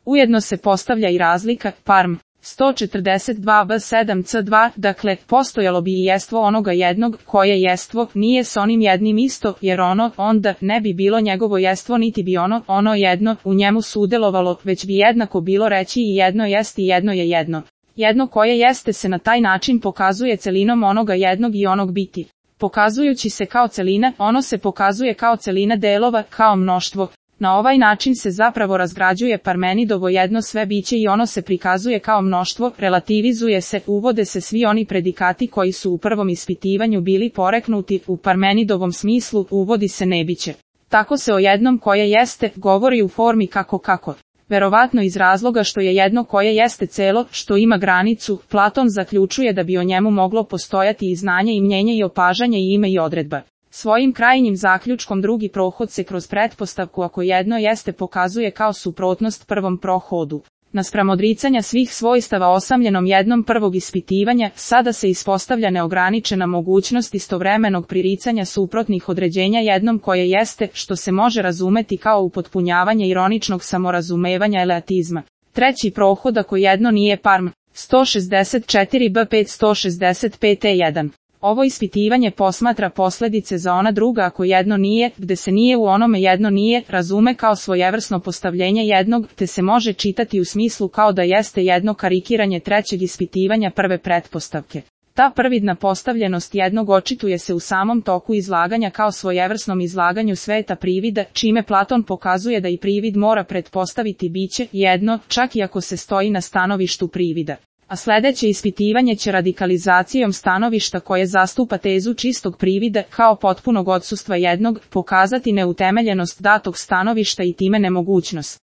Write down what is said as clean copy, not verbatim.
Ujedno se postavlja i razlika, parm, 142b7c2, dakle, postojalo bi i jestvo onoga jednog, koje jestvo nije s onim jednim isto, jer ono, onda, ne bi bilo njegovo jestvo niti bi ono jedno, u njemu sudjelovalo, već bi jednako bilo reći i jedno jest i jedno je jedno. Jedno koje jeste se na taj način pokazuje celinom onoga jednog i onog biti. Pokazujući se kao celina, ono se pokazuje kao celina delova, kao mnoštvo. Na ovaj način se zapravo razgrađuje Parmenidovo jedno sve biće i ono se prikazuje kao mnoštvo, relativizuje se, uvode se svi oni predikati koji su u prvom ispitivanju bili poreknuti, u Parmenidovom smislu uvodi se nebiće. Tako se o jednom koje jeste govori u formi kako. Verovatno iz razloga što je jedno koje jeste celo, što ima granicu, Platon zaključuje da bi o njemu moglo postojati i znanje i mnjenje i opažanje i ime i odredba. Svojim krajnjim zaključkom drugi prohod se kroz pretpostavku ako jedno jeste pokazuje kao suprotnost prvom prohodu. Naspram odricanja svih svojstava osamljenom jednom prvog ispitivanja, sada se ispostavlja neograničena mogućnost istovremenog priricanja suprotnih određenja jednom koje jeste, što se može razumeti kao upotpunjavanje ironičnog samorazumevanja eleatizma. Treći prohod ako jedno nije parm, 164b5 165e1. Ovo ispitivanje posmatra posljedice za ona druga ako jedno nije, gde se nije u onome jedno nije, razume kao svojevrsno postavljenje jednog, te se može čitati u smislu kao da jeste jedno karikiranje trećeg ispitivanja prve pretpostavke. Ta prvidna postavljenost jednog očituje se u samom toku izlaganja kao svojevrsnom izlaganju sveta privida, čime Platon pokazuje da i privid mora pretpostaviti biće jedno, čak i ako se stoji na stanovištu privida. A sljedeće ispitivanje će radikalizacijom stanovišta koje zastupa tezu čistog privida kao potpunog odsustva jednog, pokazati neutemeljenost datog stanovišta i time nemogućnost